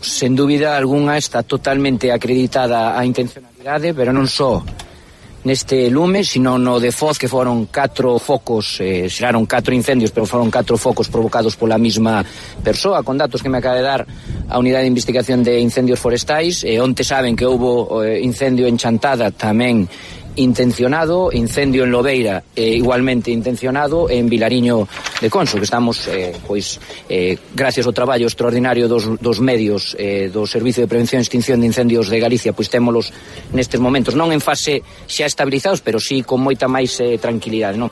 sen dúbida algunha está totalmente acreditada a intencionalidade, pero non só neste lume, sino no de Foz, que foron 4 focos, xeraron 4 incendios, pero foron 4 focos provocados pola mesma persoa, con datos que me acaba de dar a Unidade de Investigación de Incendios Forestais. Onte saben que houbo incendio en Chantada, tamén intencionado, incendio en Lobeira, igualmente intencionado, en Vilariño de Conso, que estamos, gracias ao traballo extraordinario dos medios do Servicio de Prevención e Extinción de Incendios de Galicia, pois témolos nestes momentos, non en fase xa estabilizados, pero sí con moita máis tranquilidade, non?